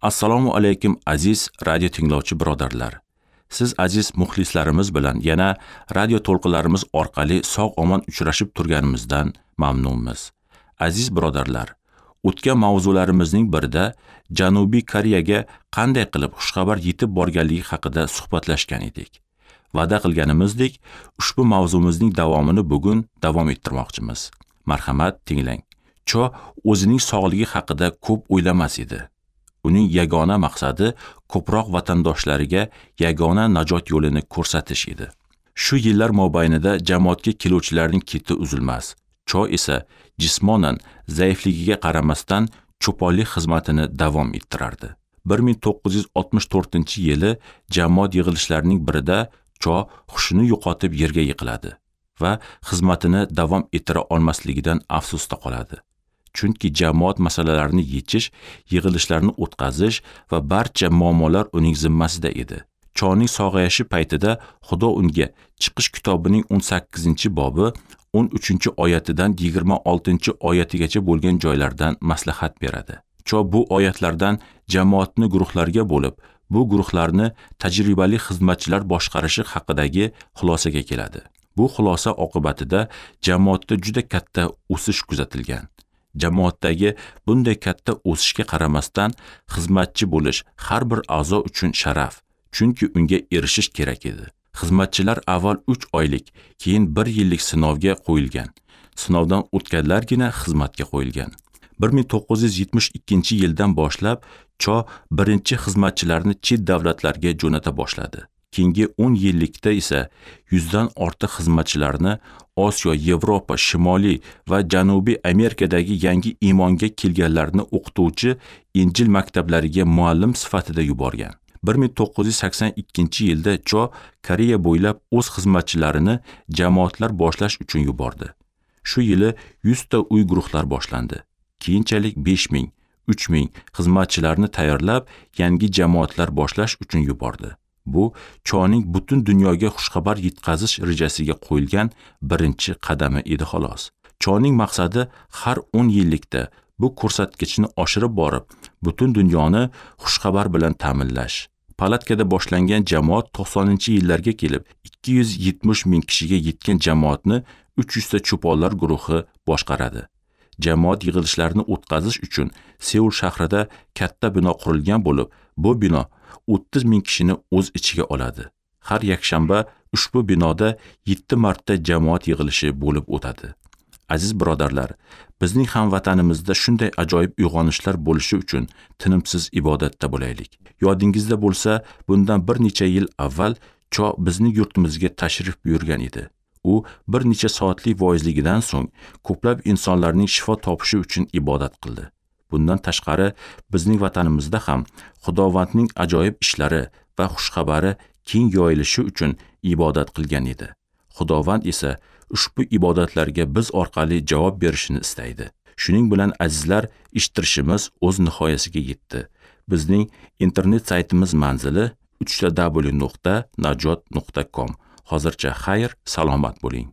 Assalomu alaykum aziz radio tinglovchi birodarlar. Siz aziz muxlislarimiz bilan yana radio to'lqinlarimiz orqali sog'-omon uchrashib turganimizdan mamnunmiz. Aziz birodarlar, o'tgan mavzularimizning birida Janubiy Koreyaga qanday qilib xushxabar yetib borganligi haqida suhbatlashgan edik. Va'da qilganimizdek, ushbu mavzumizning davomini bugun davom ettirmoqchimiz. Marhamat, tinglang. Cho o'zining sog'ligi haqida ko'p o'ylamas edi. Uning yagona maqsadi ko'proq vatandoshlariga yagona najot yo'lini ko'rsatish edi. Shu yillar mobaynida jamoatga keluvchilarning keti uzilmas. Cho esa jismonan zaifligiga qaramasdan cho'ponlik xizmatini davom ettirardi. 1964-yili jamoat yig'ilishlarining birida Cho hushini yo'qotib yerga yiqiladi va xizmatini davom ettira olmasligidan afsusda qoladi. Chunki jamoat masalalarini yechish, yig'ilishlarni o'tkazish va barcha muammolar uning zimmasida edi. Choning sog'ayishi paytida Xudo unga Chiqish kitobining 18-bobi 13-oyatidan 26-oyatigacha bo'lgan joylardan maslahat beradi. Cho bu oyatlardan jamoatni guruhlarga bo'lib, bu guruhlarni tajribali xizmatchilar boshqarishi haqidagi xulosaga keladi. Bu xulosa oqibatida jamoatda juda katta o'sish kuzatilgan. Jamoatdagi bunday katta o'sishga qaramasdan xizmatchi bo'lish har bir a'zo uchun sharaf, chunki unga erishish kerak edi. Xizmatchilar avval 3 oylik, keyin 1 yillik sinovga qo'yilgan. Sinovdan o'tganlargina xizmatga qo'yilgan. 1972-yildan boshlab Cho birinchi xizmatchilarni chet davlatlarga jo'nata boshladi. Keyingi 10 yillikda esa 100 dan ortiq xizmatchilarni Osiyo, Yevropa, Shimoliy va Janubiy Amerikadagi yangi iymonga kelganlarni o'qituvchi Injil maktablariga muallim sifatida yuborgan. 1982-yilda Cho Koreya bo'ylab o'z xizmatchilarini jamoatlar boshlash uchun yubordi. Shu yili 100 ta uy guruhlar boshlandi. Keyinchalik 5000, 3000 xizmatchilarni tayyorlab, yangi jamoatlar boshlash uchun yubordi. Bu Choning butun dunyoga xushxabar yetkazish rejasiga qo'yilgan birinchi qadami edi xolos. Choning maqsadi har 10 yillikda bu ko'rsatkichni oshirib borib, butun dunyoni xushxabar bilan ta'minlash. Palatkada boshlangan jamoat 90-yillarga kelib 270 ming kishiga yetgan jamoatni 300 ta cho'ponlar guruhi boshqaradi. Jamoat yig'ilishlarini o'tkazish uchun Seul shahrida katta bino qurilgan bo'lib, bu bino 30 ming kishini o'z ichiga oladi. Har yakshanba ushbu binoda 7 marta jamoat yig'ilishi bo'lib o'tadi. Aziz birodarlar, bizning ham vatanimizda shunday ajoyib uyg'onishlar bo'lishi uchun tinimsiz ibodatda bo'laylik. Yodingizda bo'lsa, bundan bir necha yil avval Cho bizning yurtimizga tashrif buyurgan edi. U bir necha soatlik voizligidan so'ng ko'plab insonlarning shifo topishi uchun ibodat qildi. Bundan tashqari, bizning vatanimizda ham Xudovandning ajoyib ishlari va xushxabari keng yoyilishi uchun ibodat qilgan edi. Xudovand esa ushbu ibodatlarga biz orqali javob berishini istaydi. Shuning bilan azizlar, eshittirishimiz o'z nihoyasiga yetdi. Bizning internet saytimiz manzili www.najot.com. Hozircha xayr, salomat bo'ling.